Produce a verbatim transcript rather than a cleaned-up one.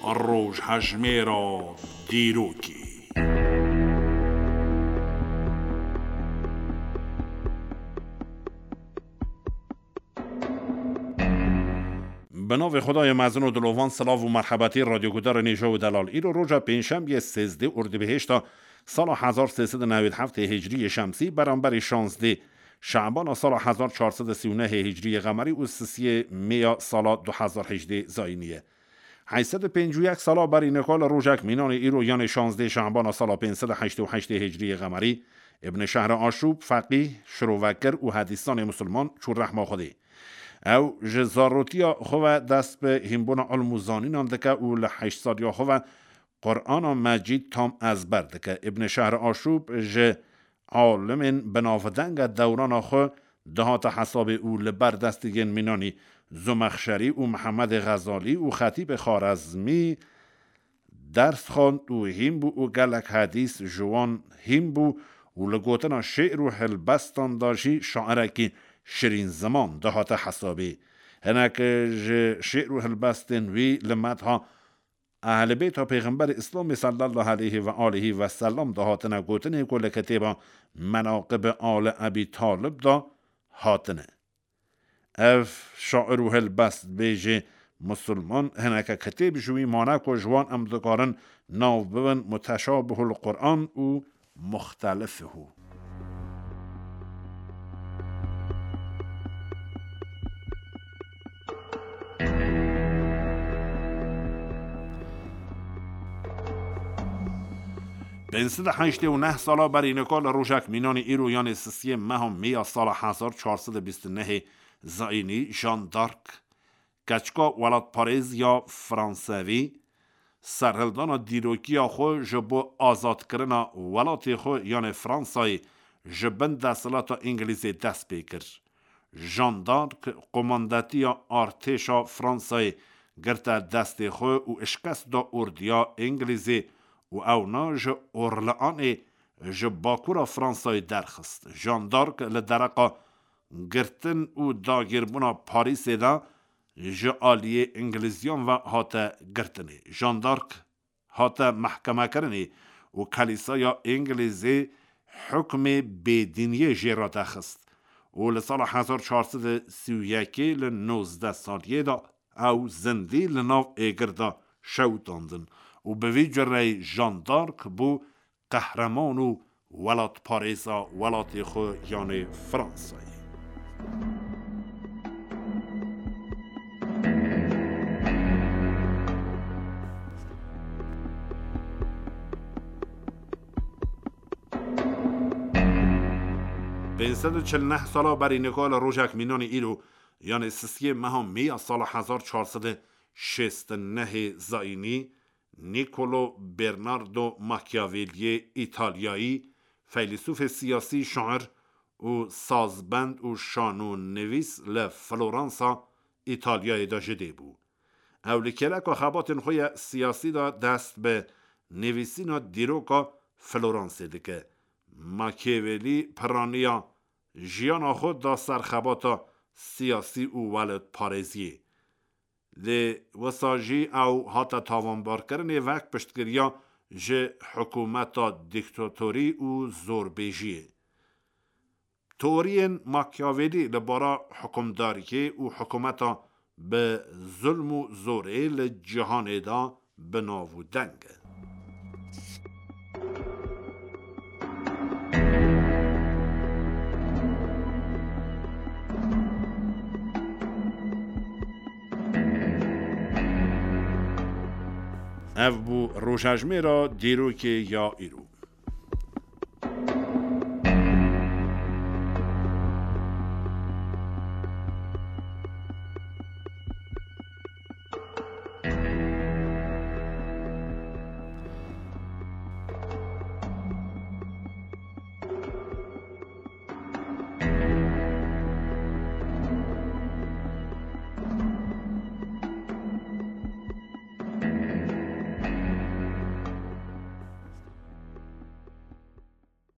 Rojhejmêra dîrokê. Bi navê Xwedayê mezin û dilovan, silav û merhebetî radyogudarê nêja û delal. Îro roja pêncşembiyê sêzdeh Ordibihêşta sala hezar sê sed û newêd heftê hicriyê şemsî, beramberî şazdeh Şabana sala hezar çar sed û sî û nehê hicriyê qemerî û sisiyê Mêya sala du hezar hejdeh zayînî ye. Heyş sed û pêncî û yek sala berî nika li rojek mînanê îro, yanê şazdeh Şabana sala pênc sed û heştê û heştê hicriyê qemerî, Ibn Şehri Aşûb, feqîh, şirovekir û hedîsanê misilman çû rehma Xwedê. Ew ji zarotiya xwe ve dest bi hînbûna ilm û zanînan dike û li heşt saliya xwe ve Qur'ana Mecîd tam ezber dike. Ibn Şehri Aşûb ji alimên binavdeng e dewrana xwe dihate hesabê û li ber destê yên mînanî Zumexşerî û Mihemedê Xezalî û Xetîbê Xarezmî ders xwend û hîn bû û gelek hedîs ji wan hîn bû û li gotina şê'r û helbestan de jî şairekî şirîn ziman dihate hesabê. Hinek ji şê'r û helbestên wî li medha Ehlibêta Pêxemberê Îslamê sallallahu aleyhi ve aleyhi ve sellem de hatine gotinê ku li kitêba Menaqib Ali Ebî Talib de hatine. Ev şair û helbestbêjê misilman hineke kitêb ji wî mane ku ji wan em dikarin nav bibin Muteşabihul Quran û Muxtelifihu. Pênc sed û heştê û neh sala berî nika li rojek mînanî îro, yanê sisiyê meha Mêya sala hezar çar sed û bîst û nehê zayînî, Jeanne d'Arc, keçika welatparêz ya Fransevî, serhildana dîrokiya xwe ji bo azadkirina welatê xwe, yanê Fransayê, ji bin desthilata Îngilîzê dest pê kir. Jeanne d'Arc qomandetiya artêşa Fransayê girte destê xwe û şikest da ordiya Îngilîzê û ewna ji Orleanê ji bakura Fransayê derxist. Jeanne d'Arc li dereqa girtin û dagîrbûna Parîsê de ji aliyê Îngilîziyan ve hate girtinê. Jeanne d'Arc hate mehkemekirinê û Kelîsaya Îngilîzê hukmê bêdîniyê jê re dexist û li sala hezar çar sed û sî û yekê li nozdeh saliyê de ew zindî li nav êgir de şewitandin û bi vî cureyî Jeanne d'Arc bû qehreman û welatparêza welatê xwe, yanê Fransayê. Pênc sed û çil neh sala berî nika li rojek mînanî îro, yanê sisiyê meha Mêya sala hezar çar sed û şêst û nehê zayînî, Niccolo Bernardo Machiavelliyê Îtalyayî, feylesûfê siyasî, şair û sazbend û şanonivîs li Floransa, Îtalyayê de ji dê bû. Ew li kêleka xebatên xwe ya siyasî de dest bi nivîsîna dîroka Floransê dike. Machiavelli piraniya jiyana xwe da ser xebata siyasî û welatparêziyê. Lê wisa jî ew hate tawanbarkirinê wek piştgiriya ji hikûmeta dîktatorî û zorbêjiyê. Teoriyên Machiavelli li bara hikûmdariyê û hikûmeta bi zulm û zorê li cîhanê de bi nav û deng e. Ev bû rojejmêra dîrokê ya îro.